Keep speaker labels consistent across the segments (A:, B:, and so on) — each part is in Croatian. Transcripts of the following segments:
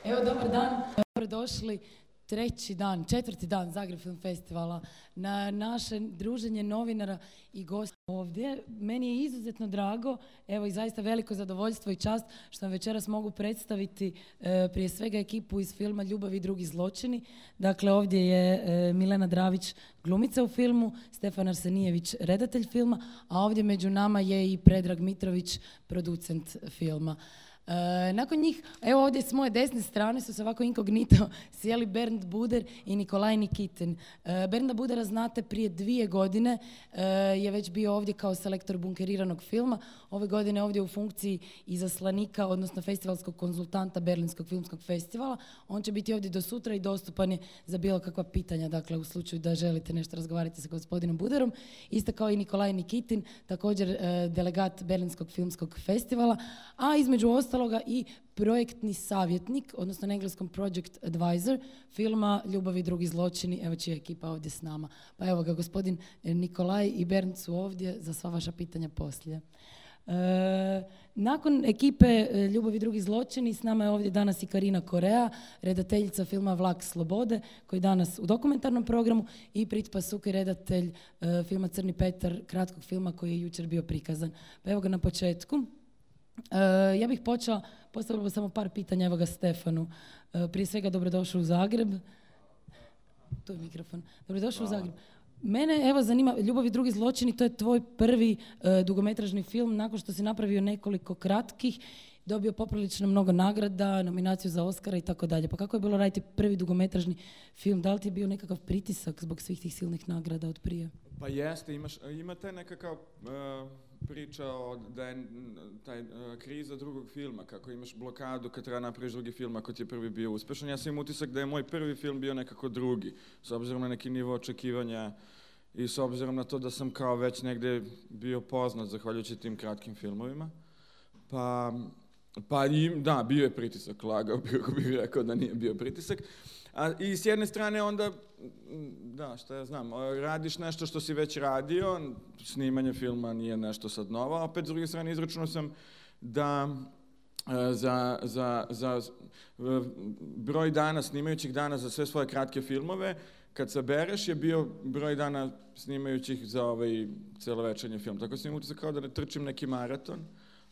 A: Evo, dobar dan, dobrodošli. Četvrti dan Zagreb Film Festivala, na naše druženje novinara i gosta ovdje. Meni je izuzetno drago, evo i zaista veliko zadovoljstvo i čast što vam večeras mogu predstaviti prije svega ekipu iz filma Ljubav i drugi zločini. Dakle, ovdje je Milena Dravić, glumica u filmu, Stefan Arsenijević, redatelj filma, a ovdje među nama je i Predrag Mitrović, producent filma. Nakon njih, evo ovdje s moje desne strane su se ovako inkognito sjeli Bernd Buder i Nikolaj Nikitin. Bernda Budera znate, prije 2 godine je već bio ovdje kao selektor bunkeriranog filma. Ove godine ovdje u funkciji izaslanika, odnosno festivalskog konzultanta Berlinskog filmskog festivala. On će biti ovdje do sutra i dostupan je za bilo kakva pitanja, dakle u slučaju da želite nešto razgovarati sa gospodinom Buderom. Isto kao i Nikolaj Nikitin, također delegat Berlinskog filmskog festivala, a između ostaloga i projektni savjetnik, odnosno na engleskom project advisor filma Ljubav i drugi zločini, evo čija je ekipa ovdje s nama. Pa evo ga, gospodin Nikolaj i Bernd su ovdje za sva vaša pitanja poslije. Nakon ekipe Ljubav i drugi zločini s nama je ovdje danas i Karina Korea, redateljica filma Vlak slobode, koji je danas u dokumentarnom programu, i Pritpa Sukaj, redatelj filma Crni Petar, kratkog filma koji je jučer bio prikazan. Pa evo ga na početku. Ja bih postavila samo par pitanja, evo ga Stefanu. Prije svega dobrodošao u Zagreb. Tu je mikrofon. Dobrodošao u Zagreb. Mene evo zanima, Ljubav i drugi zločini, to je tvoj prvi dugometražni film nakon što si napravio nekoliko kratkih, dobio poprilično mnogo nagrada, nominaciju za Oscara i tako dalje. Pa kako je bilo raditi prvi dugometražni film? Da li ti je bio nekakav pritisak zbog svih tih silnih nagrada od prije?
B: Pa jeste, imate nekakav priča da je taj kriza drugog filma, kako imaš blokadu kad treba napraviš drugi film ako ti je prvi bio uspešan. Ja sam imam utisak da je moj prvi film bio nekako drugi, s obzirom na neki nivo očekivanja i s obzirom na to da sam kao već negde bio poznat zahvaljujući tim kratkim filmovima. Da, bio je pritisak, lagao bih ako bih rekao da nije bio pritisak. I s jedne strane onda, da, šta ja znam, radiš nešto što si već radio, snimanje filma nije nešto sad novo, a opet s druge strane izračunao sam da za broj dana, snimajućih dana za sve svoje kratke filmove, kad sabereš je bio broj dana snimajućih za ovaj celovečernji film. Tako sam imao utisak kao da ne trčim neki maraton,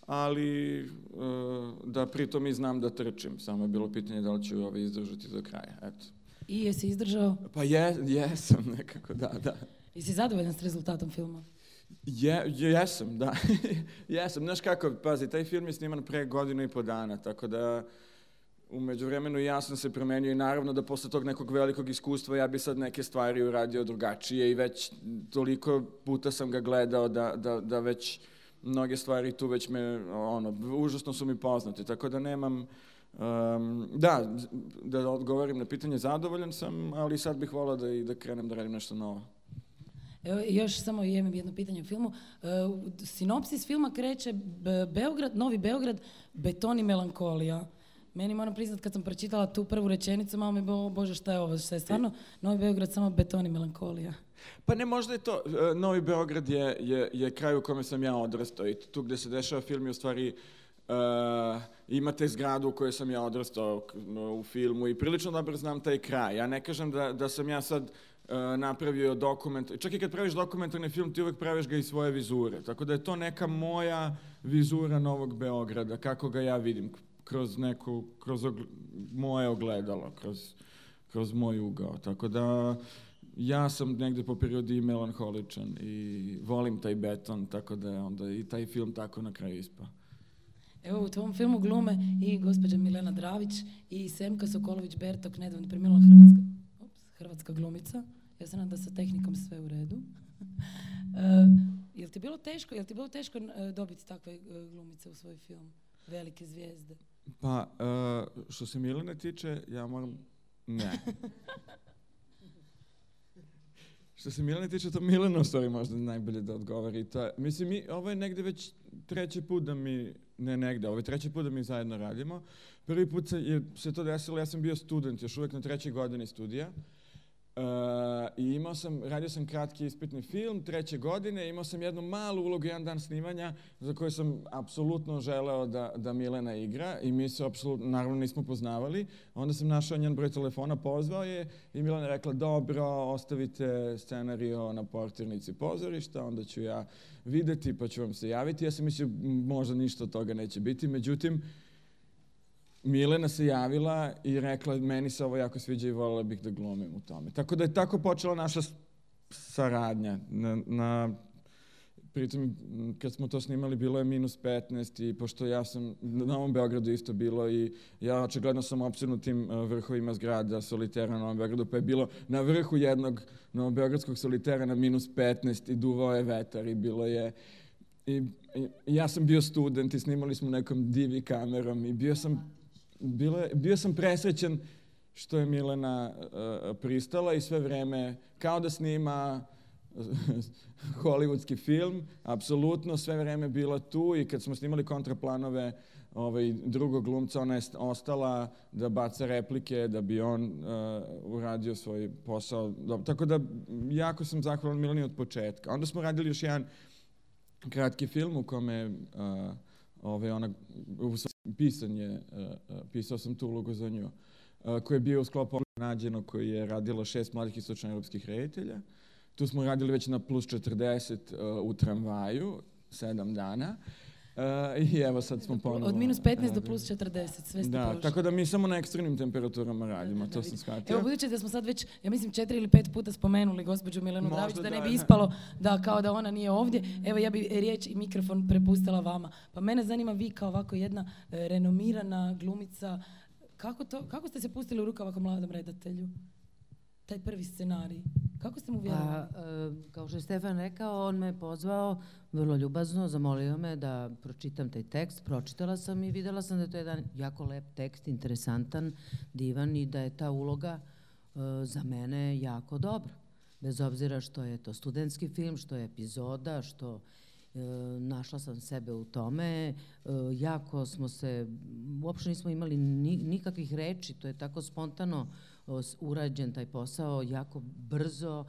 B: ali da pritom i znam da trčim. Samo je bilo pitanje da li ću izdržati do kraja. Eto.
A: I jesi izdržao?
B: Pa jesam nekako, da.
A: Jesi zadovoljan s rezultatom filma?
B: Jesam, da. Jesam. Znaš kako, pazi, taj film je sniman pre 1.5 godine, tako da u međuvremenu ja sam se promenio i naravno da posle tog nekog velikog iskustva ja bi sad neke stvari uradio drugačije i već toliko puta sam ga gledao da već mnoge stvari tu već užasno su mi poznate, tako da nemam, da odgovorim na pitanje, zadovoljan sam, ali sad bih volao da krenem da radim nešto novo.
A: Evo, još samo imam jedno pitanje u filmu. Sinopsis filma kreće Novi Beograd, beton i melankolija. Meni, moram priznat, kad sam pročitala tu prvu rečenicu, malo mi je bilo, bože, šta je ovo, šta je stvarno Novi Beograd, samo beton i melankolija?
B: Pa ne, možda je to, Novi Beograd je kraj u kome sam ja odrastao i tu gde se dešava film je u stvari, imate zgradu u kojoj sam ja odrastao u filmu i prilično dobro znam taj kraj. Ja ne kažem da sam ja sad napravio dokument, čak i kad praviš dokumentarni film ti uvek praviš ga iz svoje vizure, tako da je to neka moja vizura Novog Beograda, kako ga ja vidim, kroz moje ogledalo, kroz moj ugao, tako da ja sam negde po prirodi melanholičan i volim taj beton, tako da je onda i taj film tako na kraju ispao.
A: Evo, u tvom filmu glume i gospođa Milena Dravić i Semka Sokolović-Bertok, nedavno preminula hrvatska glumica. Ja se nadam da sa tehnikom sve u redu. Jel ti bilo teško dobiti takve glumice u svoj film? Velike zvijezde.
B: Pa, što se Milene tiče, ja moram... Ne. Što se Milene tiče, to Milena u stvari možda najbolje da odgovori. Mislim, ovo je negde već treći put da mi... ovo je treći put da mi zajedno radimo. Prvi put se to desilo, ja sam bio student, još uvek na 3. godini studija. I radio sam kratki ispitni film, 3. godine, imao sam jednu malu ulogu, jedan dan snimanja, za koju sam apsolutno želeo da Milena igra i mi se apsolutno, naravno nismo poznavali. Onda sam našao njen broj telefona, pozvao je i Milena je rekla, dobro, ostavite scenario na portirnici pozorišta, onda ću ja videti pa ću vam se javiti. Ja sam mislio, možda ništa od toga neće biti, međutim, Milena se javila i rekla, meni se ovo jako sviđa i voljela bih da glumim u tome. Tako da je tako počela naša saradnja. Pritom, kad smo to snimali, bilo je -15 i pošto ja sam, na Novom Beogradu isto bilo i ja očigledno sam opsjednut tim vrhovima zgrada solitera na Novom Beogradu, pa je bilo na vrhu jednog novobeogradskog solitera na -15 i duvao je vetar i bilo je... I ja sam bio student i snimali smo nekom divi kamerom i bio sam presrećen što je Milena pristala i sve vreme kao da snima hollywoodski film, apsolutno sve vreme bila tu i kad smo snimali kontraplanove drugog glumca, ona je ostala da baca replike, da bi on uradio svoj posao. Tako da jako sam zahvalan Mileni od početka. Onda smo radili još jedan kratki film u kome pisao sam tu ulogu za nju, koji je bio u sklopu Nađeno, koji je radilo 6 mladih istočnoevropskih reditelja. Tu smo radili već na +40 u tramvaju, 7 dana. I evo sad smo ponovo...
A: Od -15 do +40, sve ste prošli.
B: Tako da mi samo na ekstremnim temperaturama radimo, to sam shvatio.
A: Evo, budući da smo sad već, ja mislim, 4 ili 5 puta spomenuli gospođu Milenu Dravić, da ne bi ispalo kao da ona nije ovdje. Evo, ja bi riječ i mikrofon prepustila vama. Pa mene zanima, vi kao ovako jedna renomirana glumica, kako ste se pustili u rukav ovako mladom redatelju? Taj prvi scenarij. Kako ste mu vjerovali?
C: Kao što je Stefan rekao, on me pozvao vrlo ljubazno, zamolio me da pročitam taj tekst. Pročitala sam i vidjela sam da je to jedan jako lep tekst, interesantan, divan i da je ta uloga za mene jako dobra. Bez obzira što je to studentski film, što je epizoda, što našla sam sebe u tome. Jako smo se, uopšte nismo imali nikakvih reči, to je tako spontano urađen taj posao, jako brzo.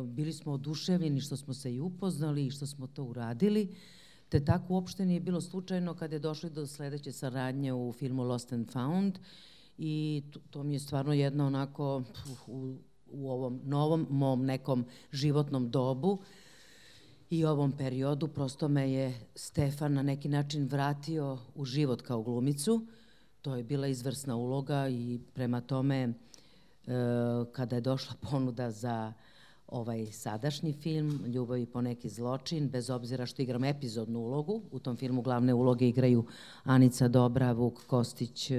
C: Bili smo oduševljeni što smo se i upoznali i što smo to uradili. Te tako uopšte nije bilo slučajno kad je došli do sledeće saradnje u filmu Lost and Found i to mi je stvarno jedno onako u ovom novom mom nekom životnom dobu i ovom periodu prosto me je Stefan na neki način vratio u život kao glumicu. To je bila izvrsna uloga i prema tome kada je došla ponuda za ovaj sadašnji film Ljubav i poneki zločin, bez obzira što igram epizodnu ulogu, u tom filmu glavne uloge igraju Anica Dobra, Vuk Kostić,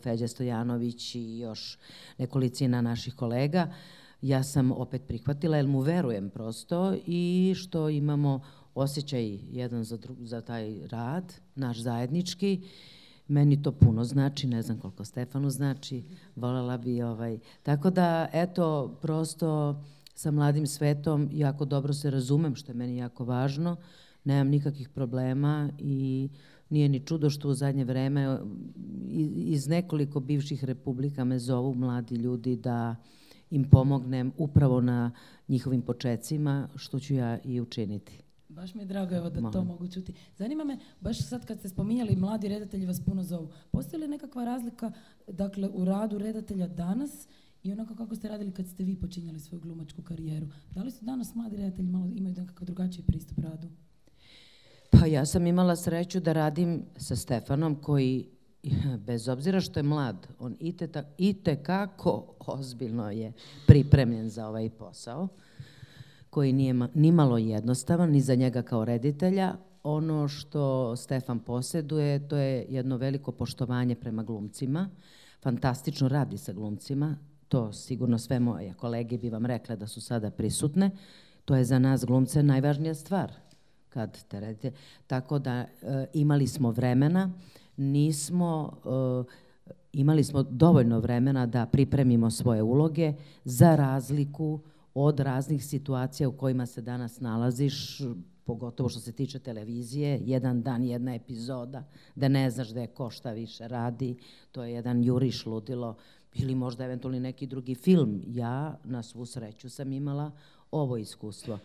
C: Feđa Stojanović i još nekolicina naših kolega, ja sam opet prihvatila jer mu verujem prosto i što imamo osjećaj jedan za taj rad, naš zajednički. Meni to puno znači, ne znam koliko Stefanu znači, voljela bi Tako da, eto, prosto sa mladim svetom jako dobro se razumem, što je meni jako važno, nemam nikakvih problema i nije ni čudo što u zadnje vreme iz nekoliko bivših republika me zovu mladi ljudi da im pomognem upravo na njihovim počecima, što ću ja i učiniti.
A: Baš mi je drago evo da to mogu čuti. Zanima me, baš sad kad ste spominjali mladi redatelji vas puno zovu, postoji li nekakva razlika dakle, u radu redatelja danas i onako kako ste radili kad ste vi počinjali svoju glumačku karijeru? Da li su danas mladi redatelji malo imaju nekakav drugačiji pristup radu?
C: Pa ja sam imala sreću da radim sa Stefanom koji, bez obzira što je mlad, on itekako ozbiljno je pripremljen za ovaj posao, koji nije nimalo jednostavan, ni za njega kao reditelja. Ono što Stefan posjeduje, to je jedno veliko poštovanje prema glumcima. Fantastično radi sa glumcima, to sigurno sve moje kolege bi vam rekle da su sada prisutne. To je za nas glumce najvažnija stvar kad te redite. Tako da imali smo vremena, imali smo dovoljno vremena da pripremimo svoje uloge za razliku od raznih situacija u kojima se danas nalaziš, pogotovo što se tiče televizije, jedan dan, jedna epizoda, da ne znaš da je ko šta više radi, to je jedan juriš ludilo. ili možda eventualno neki drugi film. Ja na svu sreću sam imala ovo iskustvo.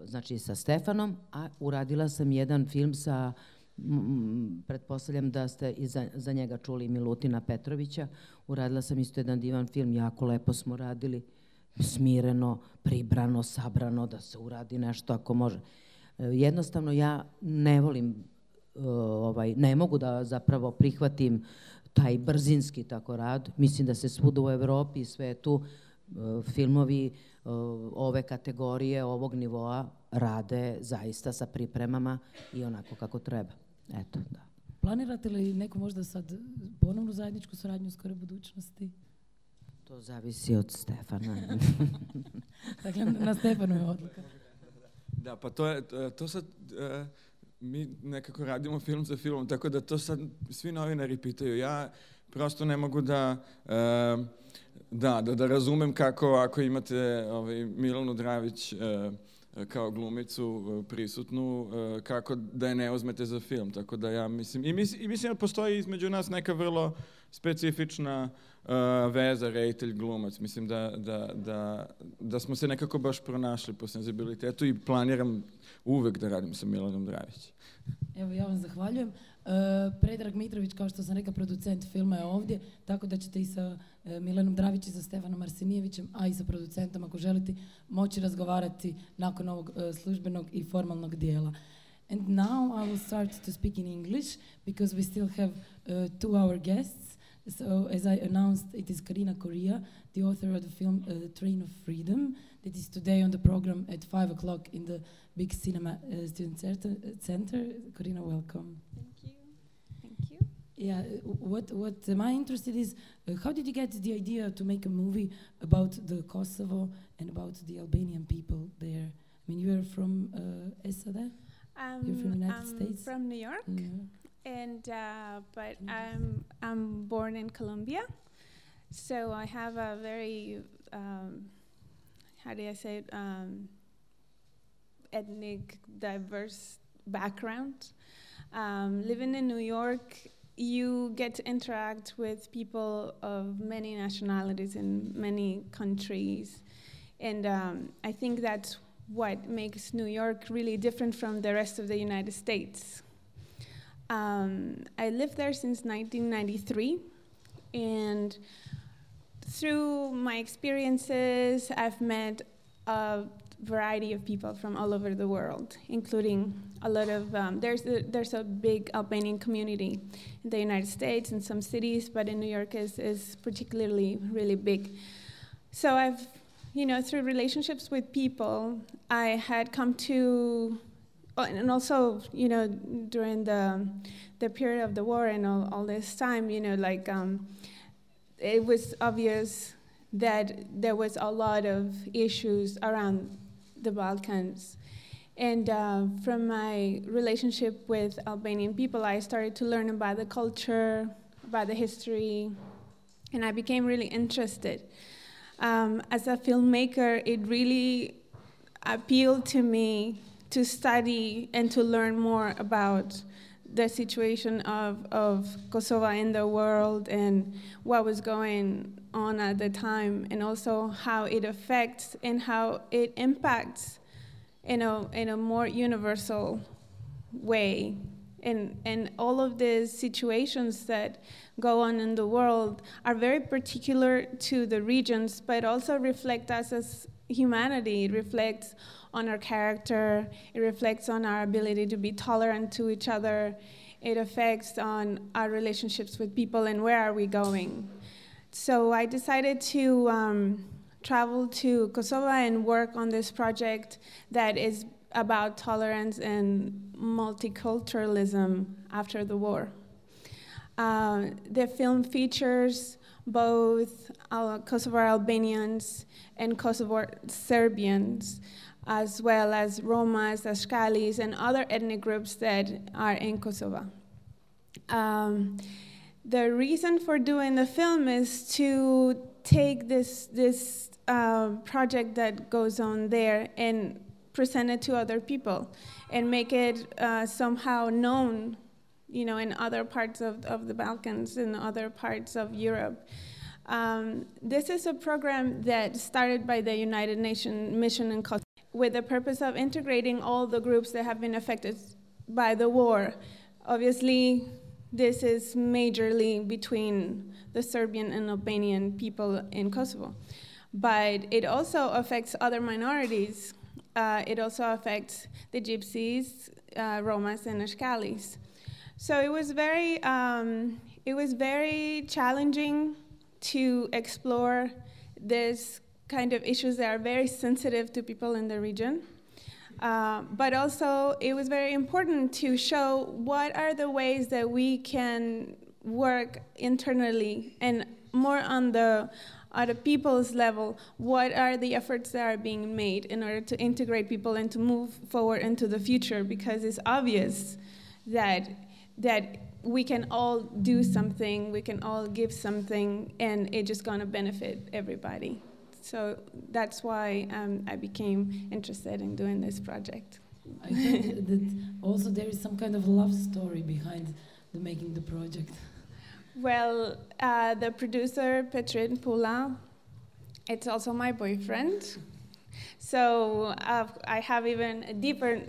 C: Znači sa Stefanom, a uradila sam jedan film sa, pretpostavljam da ste i za njega čuli, Milutina Petrovića. Uradila sam isto jedan divan film, jako lepo smo radili, smireno, pribrano, sabrano, da se uradi nešto ako može. Jednostavno ja ne volim, ne mogu da zapravo prihvatim taj brzinski tako rad. Mislim da se svuda u Evropi i svetu filmovi ove kategorije, ovog nivoa rade zaista sa pripremama i onako kako treba. Eto, da.
A: Planirate li neku možda sad ponovnu zajedničku saradnju u skoroj budućnosti?
C: To zavisi od Stefana.
A: Dakle, na Stefanu je odluka.
B: Da, pa to sad, mi nekako radimo film za filmom, tako da to sad svi novinari pitaju. Ja prosto ne mogu da razumem kako ako imate Milanu Dravić kao glumicu prisutnu, kako da je ne uzmete za film. Tako da ja mislim, i mislim da postoji između nas neka vrlo specifična veza reditelj-glumac. Mislim da smo se nekako baš pronašli po senzibilitetu i planiram uvek da radim sa Milanom Dravić.
A: Evo, ja vam zahvaljujem. Predrag Mitrović, kao što sam rekla, producent filma je ovdje, tako da ćete i sa Milanom Dravić i sa Stefanom Arsenijevićem, a i sa producentom, ako želite, moći razgovarati nakon ovog službenog i formalnog dijela. And now I will start to speak in English, because we still have 2 hour guests. So, as I announced, it is Karina Correa, the author of the film Train of Freedom, that is today on the program at 5 o'clock in the Big Cinema Student Center. Karina, welcome.
D: Thank you. Thank you.
A: Yeah, what am I interested is, how did you get the idea to make a movie about the Kosovo and about the Albanian people there? I mean, you are from SAD? You're from the United States?
D: From New York.
A: Yeah.
D: And but I'm born in Colombia, so I have a very how do I say it, ethnic diverse background. Living in New York, you get to interact with people of many nationalities in many countries, and I think that's what makes New York really different from the rest of the United States. I lived there since 1993, and through my experiences, I've met a variety of people from all over the world, including a lot of, there's a big Albanian community in the United States, in some cities, but in New York is particularly really big. So I've, through relationships with people, I had come to, and also, during the period of the war and all this time, it was obvious that there was a lot of issues around the Balkans. And from my relationship with Albanian people, I started to learn about the culture, about the history, and I became really interested. As a filmmaker, it really appealed to me to study and to learn more about the situation of Kosovo in the world and what was going on at the time, and also how it affects and how it impacts in a more universal way. And all of the situations that go on in the world are very particular to the regions, but also reflect us as humanity. It reflects on our character, it reflects on our ability to be tolerant to each other, it affects on our relationships with people and where are we going. So I decided to travel to Kosovo and work on this project that is about tolerance and multiculturalism after the war. The film features both Kosovo Albanians and Kosovo Serbians, as well as Romas, Ashkalis, and other ethnic groups that are in Kosovo. The reason for doing the film is to take this project that goes on there and present it to other people and make it somehow known, in other parts of the Balkans and other parts of Europe. This is a program that started by the United Nations Mission in Kosovo with the purpose of integrating all the groups that have been affected by the war. Obviously, this is majorly between the Serbian and Albanian people in Kosovo. But it also affects other minorities. It also affects the Gypsies, Romas, and Ashkalis. So it was very challenging to explore this kind of issues that are very sensitive to people in the region. But also, it was very important to show what are the ways that we can work internally and more on the people's level. What are the efforts that are being made in order to integrate people and to move forward into the future? Because it's obvious that we can all do something, we can all give something, and it's just gonna benefit everybody. So that's why I became interested in doing this project.
A: I heard that also there is some kind of love story behind making the project.
D: Well, the producer, Petrin Pula, it's also my boyfriend. So I have even a deeper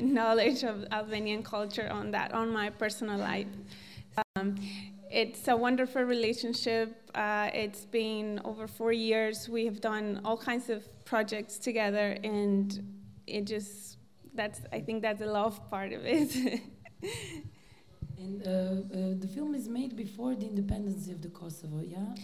D: knowledge of Albanian culture on my personal life. It's a wonderful relationship. It's been over 4 years. We have done all kinds of projects together, and I think that's the love part of it.
A: And the film is made before the independence of the Kosovo, yeah?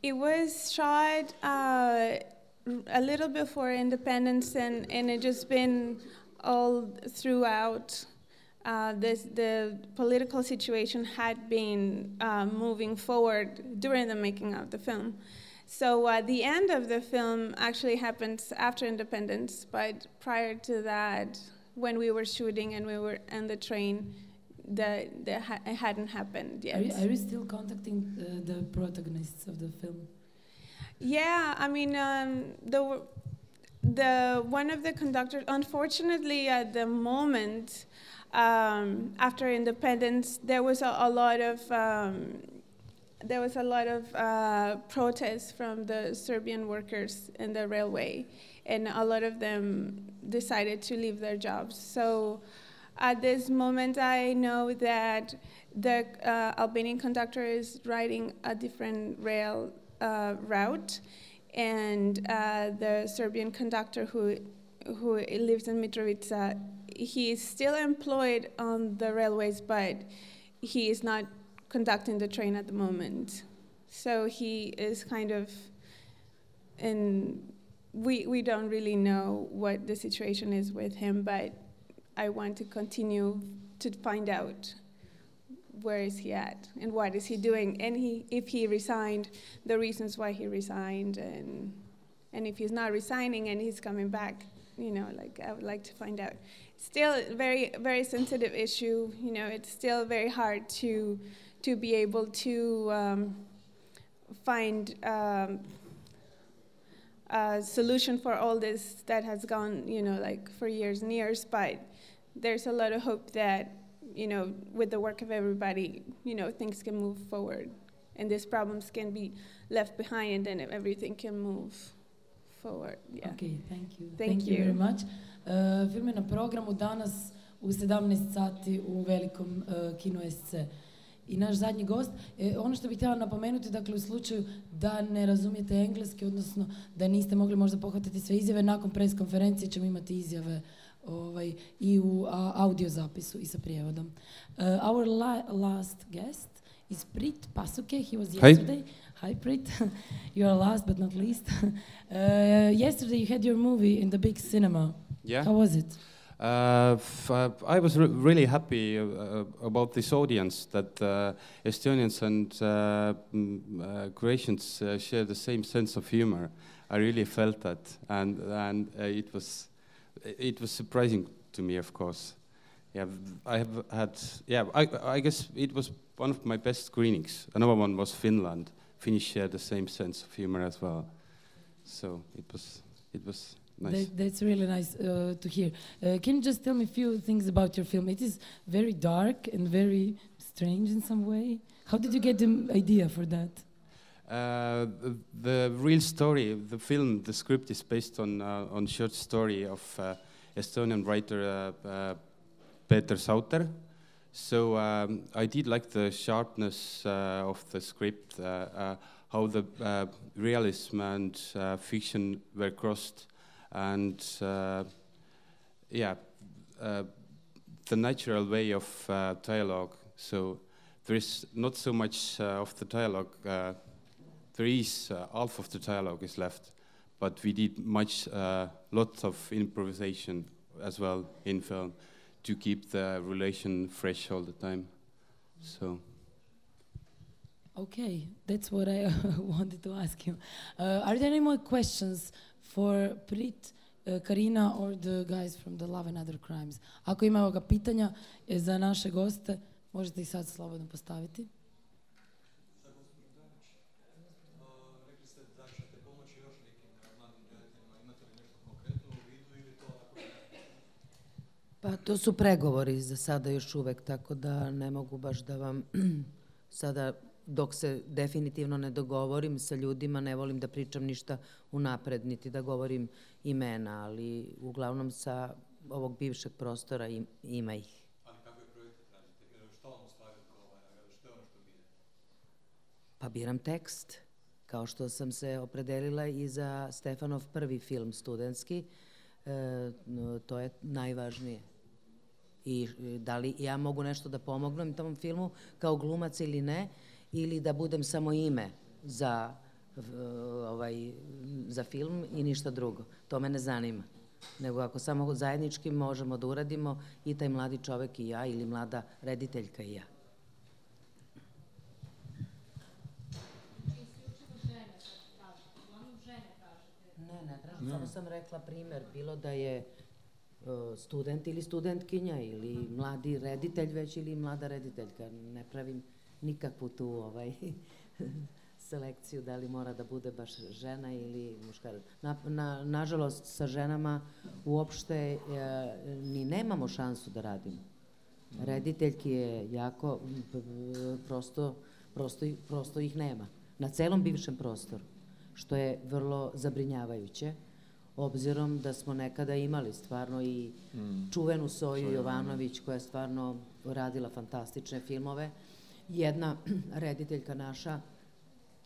D: It was shot a little before independence, and it just been all throughout. The political situation had been moving forward during the making of the film. So the end of the film actually happens after independence, but prior to that, when we were shooting and we were on the train, it hadn't happened yet.
A: Are you still contacting the protagonists of the film?
D: Yeah, I mean, the one of the conductors, unfortunately, at the moment, after independence, there was a lot of protests from the Serbian workers in the railway, and a lot of them decided to leave their jobs. So at this moment, I know that the Albanian conductor is riding a different rail route, and the Serbian conductor who lives in Mitrovica, he is still employed on the railways, but he is not conducting the train at the moment. So he is kind of we don't really know what the situation is with him, but I want to continue to find out where is he at and what is he doing, and if he resigned, the reasons why he resigned, and if he's not resigning and he's coming back, I would like to find out. Still a very, very sensitive issue. It's still very hard to be able to find a solution for all this that has gone, for years and years, but there's a lot of hope that, with the work of everybody, things can move forward and these problems can be left behind and everything can move forward. Yeah.
A: Okay, thank you.
D: Thank you
A: very much. Film je na programu danas u 17 sati u velikom kinu SC. I naš zadnji gost, ono što bih htjela napomenuti, dakle u slučaju da ne razumijete engleski, odnosno da niste mogli možda pohvatiti sve izjave, nakon pres konferencije ćemo imati izjave i u audio zapisu i sa prijevodom. Our last guest is Prit Pasuke. He was yesterday. Hi Prit. You are last but not least. Yesterday you had your movie in the big cinema.
E: Yeah.
A: How was it?
E: I was really happy about this audience, that Estonians and Croatians share the same sense of humor. I really felt that, and it was surprising to me, of course. Yeah, I have had. Yeah, I guess it was one of my best screenings. Another one was Finland. Finnish share the same sense of humor as well. So it was nice.
A: That's really nice to hear. Can you just tell me a few things about your film? It is very dark and very strange in some way. How did you get the idea for that?
E: The real story, the film, the script is based on short story of Estonian writer Peeter Sauter. So I did like the sharpness of the script, how the realism and fiction were crossed, and the natural way of dialogue. So there is not so much of the dialogue. There is half of the dialogue is left, but we did lots of improvisation as well in film to keep the relation fresh all the time. So.
A: Okay, that's what I wanted to ask you. Are there any more questions for Prit, Karina, or the guys from the Love and Other Crimes? Ako ima ovoga pitanja za naše goste, možete ih sad slobodno postaviti.
F: Rekli ste da ćete pomoći još nekim mladim rediteljima. Imate li nešto konkretno u vidu ili to ako ne?
C: Pa to su pregovori za sada još uvek, tako da ne mogu baš da vam sada, dok se definitivno ne dogovorim sa ljudima, ne volim da pričam ništa unapred, niti da govorim imena, ali uglavnom sa ovog bivšeg prostora ima ih.
F: Ali kakve projekte tražite? Što vam u stvari odgovara? Što je ono što birate?
C: Pa biram tekst, kao što sam se opredelila i za Stefanov prvi film studentski, to je najvažnije. I da li ja mogu nešto da pomognem tom filmu kao glumac ili ne, ili da budem samo ime za film i ništa drugo. To me ne zanima. Nego ako samo zajednički možemo da uradimo i taj mladi čovek i ja ili mlada rediteljka i ja. Ne tražim, samo sam rekla primer, bilo da je student ili studentkinja ili mladi reditelj već ili mlada rediteljka. Ne pravim nikakvu tu selekciju da li mora da bude baš žena ili muškarac. Nažalost, sa ženama uopšte ni nemamo šansu da radimo. Rediteljki je jako, prosto ih nema. Na celom bivšem prostoru, što je vrlo zabrinjavajuće, obzirom da smo nekada imali stvarno i čuvenu Soju Jovanović, koja je stvarno radila fantastične filmove. Jedna rediteljka naša,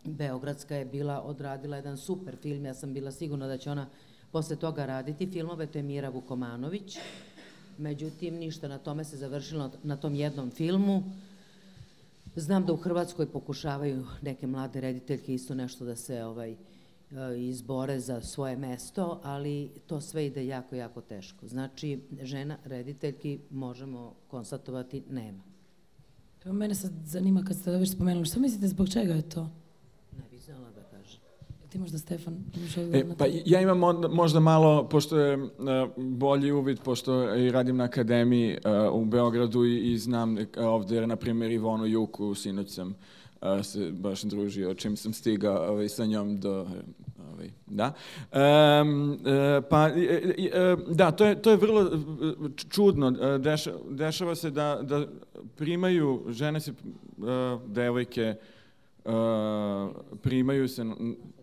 C: beogradska, je odradila jedan super film, ja sam bila sigurna da će ona posle toga raditi filmove, to je Mira Vukomanović. Međutim, ništa, na tome se završilo, na tom jednom filmu. Znam da u Hrvatskoj pokušavaju neke mlade rediteljke isto nešto da se izbore za svoje mesto, ali to sve ide jako, jako teško. Znači, žena rediteljki, možemo konstatovati, nema.
A: Evo, mene sad zanima, kad ste već spomenuli, što mislite, zbog čega je to?
C: Ne bih znala da kažem.
A: Ti možda, Stefan,
B: pa ja imam možda malo, pošto je bolji uvid, pošto i radim na akademiji u Beogradu i znam ovdje, na primjer, Ivonu Juku, sinoć sam se baš družio, čim sam stigao sa njom do... Da. Da, to je vrlo čudno. Dešava se da primaju, žene se, devojke, primaju se,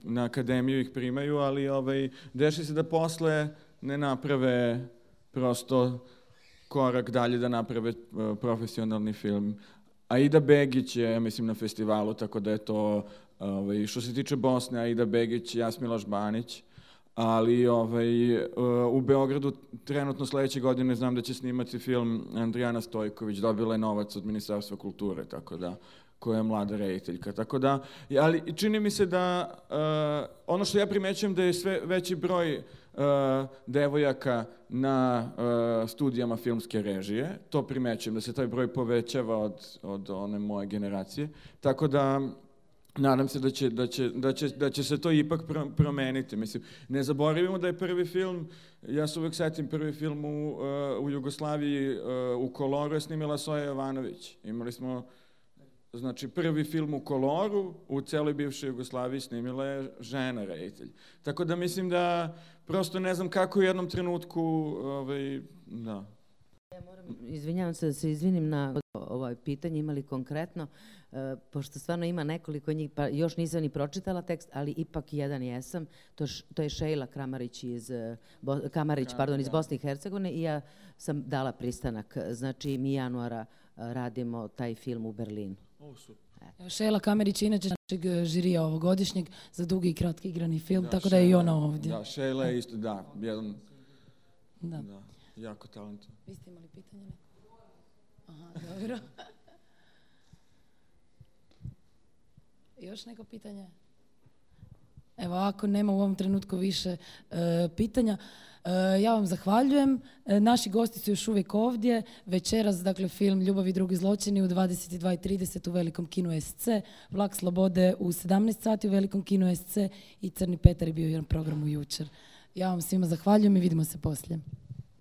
B: na akademiju ih primaju, ali dešava se da posle ne naprave prosto korak dalje da naprave profesionalni film. Aida Begić je, mislim, na festivalu, tako da je to, što se tiče Bosne, Aida Begić, Jasmiloš Banić, ali u Beogradu trenutno sledeće godine znam da će snimati film Andrijana Stojković, dobila je novac od Ministarstva kulture, tako da, koja je mlada rediteljka. Tako da, ali čini mi se da, ono što ja primećujem da je sve veći broj devojaka na studijama filmske režije, to primećujem, da se taj broj povećava od one moje generacije, tako da nadam se da će se to ipak promeniti. Mislim, ne zaboravimo da je prvi film, ja se uvek setim prvi film u Jugoslaviji, u koloru je snimila Soja Jovanović. Imali smo, znači, prvi film u koloru u celoj bivšoj Jugoslaviji snimila je žena reditelj. Tako da mislim da prosto ne znam kako u jednom trenutku, da.
C: Ja moram, izvinjavam se da se izvinim na ovo pitanje, imali konkretno, pošto stvarno ima nekoliko njih, pa još nisam ni pročitala tekst, ali ipak jedan jesam, to je Šejla Kamarić iz Bosne i Hercegovine i ja sam dala pristanak. Znači, mi januara radimo taj film u Berlinu.
A: Šejla Kamarić je inače našeg žirija ovogodišnjeg za dugi i kratki igrani film, tako da je i ona ovdje.
B: Da, Šejla je isto, jedan
A: Da.
B: jako talentovan.
A: Vi ste imali pitanje neko? Aha, dobro. Još neko pitanje? Evo, ako nema u ovom trenutku više pitanja, ja vam zahvaljujem. Naši gosti su još uvijek ovdje. Večeras, dakle, film Ljubav i drugi zločini u 22:30 u Velikom kinu SC, Vlak slobode u 17 sati u Velikom kinu SC i Crni Petar je bio jedan program u jučer. Ja vam svima zahvaljujem i vidimo se poslije.